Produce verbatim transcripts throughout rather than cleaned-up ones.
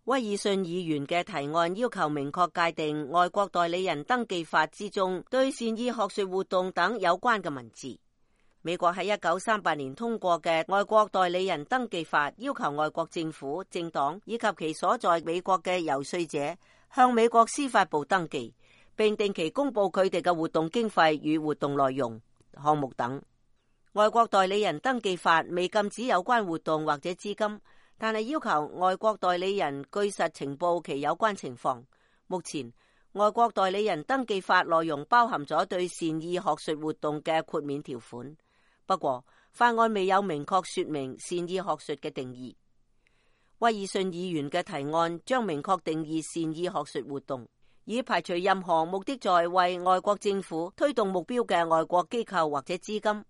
威爾遜議員嘅提案要求明確界定外國代理人登記法之中對善意學術活動等有關嘅文字。美國喺一九三八年通過嘅外國代理人登記法，要求外國政府、政黨以及其所在美國嘅遊說者向美國司法部登記，並定期公布佢哋嘅活動經費與活動內容、項目等。外國代理人登記法未禁止有關活動或者資金，但係要求外國代理人據實情報其有關情況。目前，外國代理人登記法內容包含咗對善意學術活動嘅豁免條款，不過法案未有明確說明善意學術嘅定義。威爾遜議員嘅提案將明確定義善意學術活動，以排除任何目的在為外國政府推動目標嘅外國機構或者資金。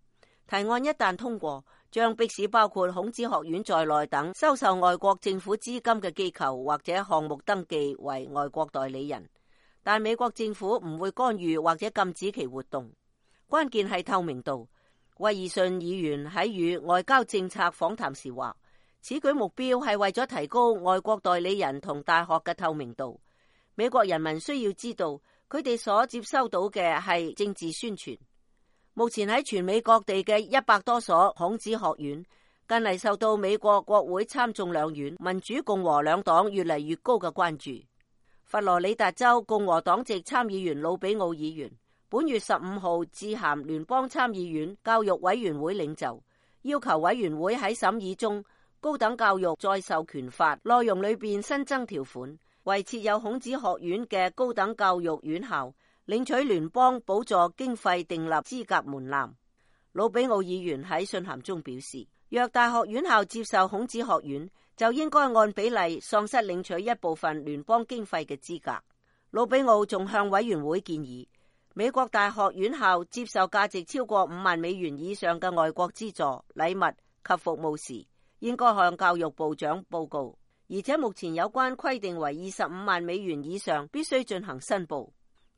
提案一旦通過，將迫使包括孔子學院在內等收受外國政府資金嘅機構或者項目登記為外國代理人，但美國政府唔會干預或者禁止其活動。關鍵係透明度。威爾遜議員喺與外交政策訪談時話，此舉目標係為咗提高外國代理人同大學嘅透明度。美國人民需要知道，佢哋所接收到嘅係政治宣傳。目前喺全美各地嘅一百多所孔子學院，近嚟受到美國國會參眾兩院民主共和兩黨越嚟越高嘅關注。佛羅里達州共和黨籍參議員魯比奧議員本月十五號致函聯邦參議院教育委員會領袖，要求委員會喺審議中高等教育再授權法內容裏邊新增條款，為設有孔子學院嘅高等教育院校領取聯邦補助經費訂立資格門檻。魯比奧議員喺信函中表示，若大學院校接受孔子學院，就應該按比例喪失領取一部分聯邦經費嘅資格。魯比奧仲向委員會建議，美國大學院校接受價值超過五萬美元以上嘅外國資助、禮物及服務時，應該向教育部長報告，而且目前有關規定為二十五萬美元以上，必須進行申報。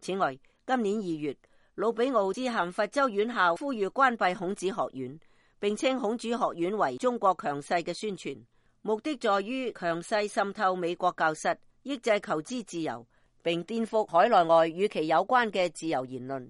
此外，今年二月，魯比奧致函佛州院校，呼籲關閉孔子學院，並稱孔子學院為中國強勢嘅宣傳，目的在於強勢滲透美國教室，抑制求知自由，並顛覆海內外與其有關嘅自由言論。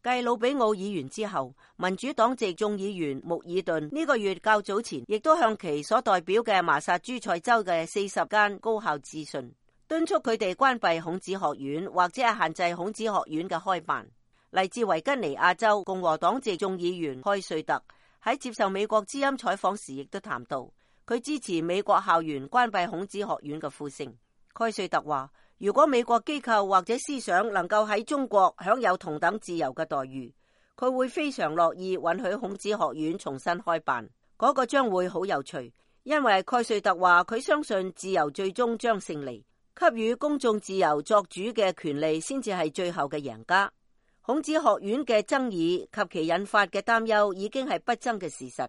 繼魯比奧議員之後，民主黨籍眾議員穆爾頓呢個月較早前亦都向其所代表嘅麻薩諸塞州嘅四十間高校致信，敦促佢哋關閉孔子學院或者係限制孔子學院嘅開辦。嚟自維吉尼亞州共和黨籍眾議員蓋瑞特喺接受美國之音採訪時亦都談到，佢支持美國校園關閉孔子學院嘅呼聲。蓋瑞特話，如果美國機構或者思想能夠喺中國享有同等自由嘅待遇，佢會非常樂意允許孔子學院重新開辦，嗰個將會好有趣。因為蓋瑞特話佢相信自由最終將勝利，給予公眾自由作主嘅權利先至係最後嘅贏家。孔子學院嘅爭議及其引發嘅擔憂已經係不爭嘅事實。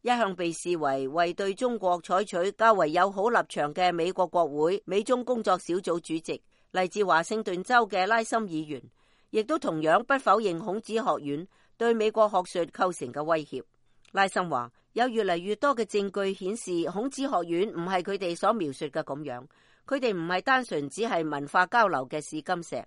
一向被視為為對中國採取較為友好立場嘅美國國會美中工作小組主席，嚟自華盛頓州嘅拉森議員，亦都同樣不否認孔子學院對美國學術構成嘅威脅。拉森話，有越嚟越多嘅證據顯示孔子學院唔係佢哋所描述嘅咁樣，佢哋唔係單純只係文化交流嘅試金石。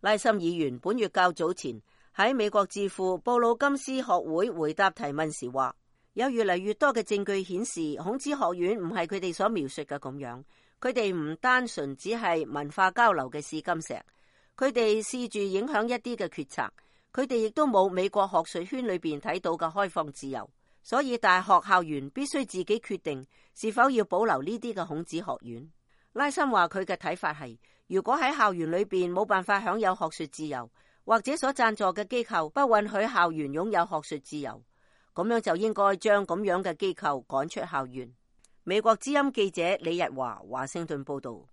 拉森議員本月較早前喺美國智庫布魯金斯學會回答提問時話，有越嚟越多嘅證據顯示孔子學院唔係佢哋所描述嘅咁樣，佢哋唔單純只係文化交流嘅試金石，佢哋試住影響一啲嘅決策，佢哋亦都冇美國學術圈裏邊睇到嘅開放自由，所以大學校園必須自己決定是否要保留呢啲嘅孔子學院。拉森話佢嘅睇法係，如果喺校園裏邊冇辦法享有學術自由，或者所贊助嘅機構不允許校園擁有學術自由，咁樣就應該將咁樣嘅機構趕出校園。美國之音記者李日華華盛頓報道。